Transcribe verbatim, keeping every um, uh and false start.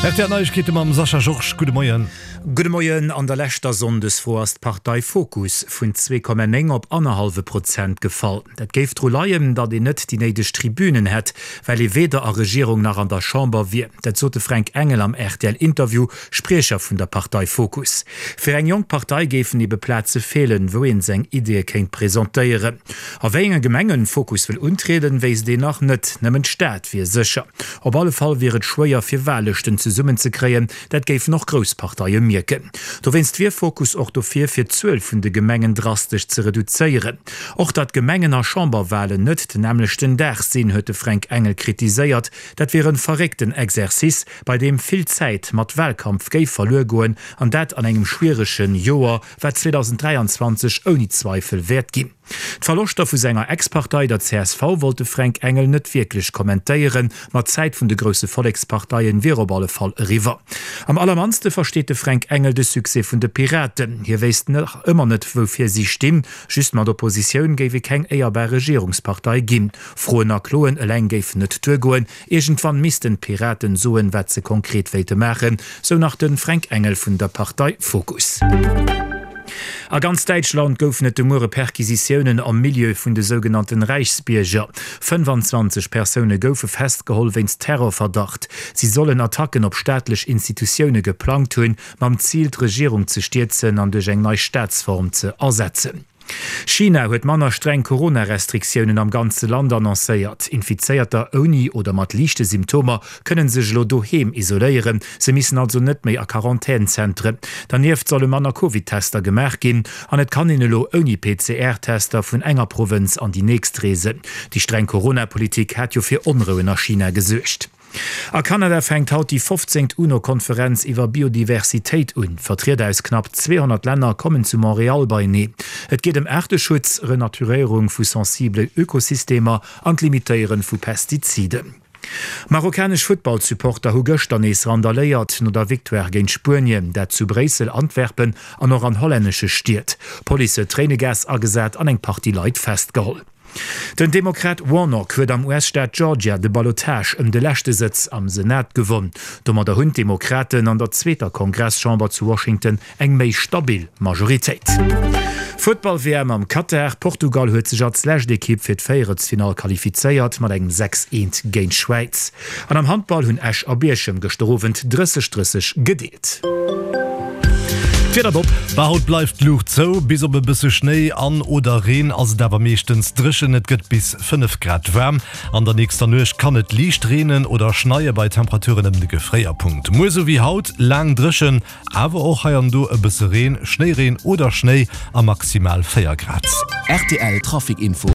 R T L Neiegkeete mam Sascha Georges. Gudde Moien. Gudde Moien. An der leschter Sonndesfro ass d'Partei Fokus vun zwee Komma néng op annerhallwe Prozent gefall. Dat géif dru leien, datt een net déi néideg Tribünen hätt, well ee weder a Regierung nach an der Chamber wier. Dat sot de Fränk Engel am R T L-Interview, Spriecher vun der Partei Fokus. Fir eng jonk Partei géifen ebe Plaze feelen, wou een seng Ideeë kéint presentéieren. A wéi enge Gemengen Fokus wëll untrieden, wéisst een nach net. Nëmmen d'Stad wier sécher. Op alle Fall wier et schwéier fir Wahllëschten zesummen ze kréien, dat géifen och grouss Parteie mierken. Dowéinst wier Fokus och dofir, fir d'Zuel vun de Gemengen drastesch ze reduzéieren. Och datt Gemengen a Chamberwahlen net den nämmlechten Dag sinn, huet de Fränk Engel kritiséiert. Dat wier en verréckten Exercice, bei deem vill Zäit mat Wahlkampf géif verluer goen, an dat an engem schwieregen Joer, wat zweedausenddräianzwanzeg ouni Zweifel wäert ginn. D'Verloschter vu senger Ex-Partei, der C S V, wollt de Fränk Engel net wierklech kommentéieren, ma d'Zäit vun de grousse Volleksparteien wier op alle Fall eriwwer. Am allermannste versteet de Fränk Engel de Succès vun de Piraten. Hie wéisst nach ëmmer net, woufir si stinn. Just mat Oppositioun géif ee keng éierbar Regierungspartei ginn. Froen a Kloen eleng géifen net duergoen. Iergendwann missten d'Piraten soen, wat se konkret wéilte maachen, sou nach de Fränk Engel vun der Partei Fokus. A ganz Däitschland goufen et de Muere Perquisitiounen am Milieu vun de sougenannten Reichsbierger. fënnefanzwanzeg Persoune goufe festgeholl wéinst Terrorverdacht. Si sollen Attacken op staatlech Institutioune geplangt hunn, mam Zil d'Regierung ze stierzen an duerch eng nei Staatsform ze ersetzen. China huet manner streng Corona-Restriktiounen am ganze Land annoncéiert. Infizéierter ouni oder mat liichte Symptomer kënne sech elo doheem isoléieren, se missen also net méi a Quarantänzentren. Dernieft solle manner Covid-Tester gemaach ginn an et kann een elo ouni P C R-Tester vun enger Provënz an déi nächst reesen. Déi streng Corona-Politik hat jo fir Onrouen a China gesuergt. A Kanada fänkt haut déi fofzéngt UNO-Konferenz iwwer Biodiversitéit un. Vertrieder aus knapp zweehonnert Länner kommen zu Montreal beieneen. Et geet ëm Aarteschutz, Renaturéierung vu sensibelen Ökosystemer an d'Limitéiere vu Pestiziden. Marokkanesch Futtballsupporter hu gëschter nees randaléiert no der Victoire géint Spuenien, dat zu Bréissel, Antwerpen an och an hollännesche Stied. D'Police huet Tréinegas agesat an eng Partie Leit festgeholl. Den Demokrat Warnock huet am U S-Staat Georgia de Ballotage ëm de leschte Sëtz am Senat gewonn. Domadder hunn d'Demokraten an der zweeter Kongresschamber zu Washington eng méi stabil Majoritéit. Futtball-W M am Katar, Portugal huet sech als lescht Ekipp fir d'Véierelsfinall qualifizéiert mat engem sechs eent géint d'Schwäiz. An am Handball hunn Esch a Bierchem gëschter Owend drësseg drësseg gedeelt. D'Wieder Bob. Bah, haut bleift d'Luucht zou, bis op e bësse Schnéi an oder Reen ass et awer meeschtens dréchen. Et gëtt bis fënnef Grad waarm. An der nächster Nuecht kann et liicht reenen oder schneie bei Temperaturen ëm de Gefréierpunkt. Muer sou wéi haut laang dréchen, awer och hei an do e bësse Reen, Schnéireen oder Schnéi a maximal véier Grad. R T L Trafic Info.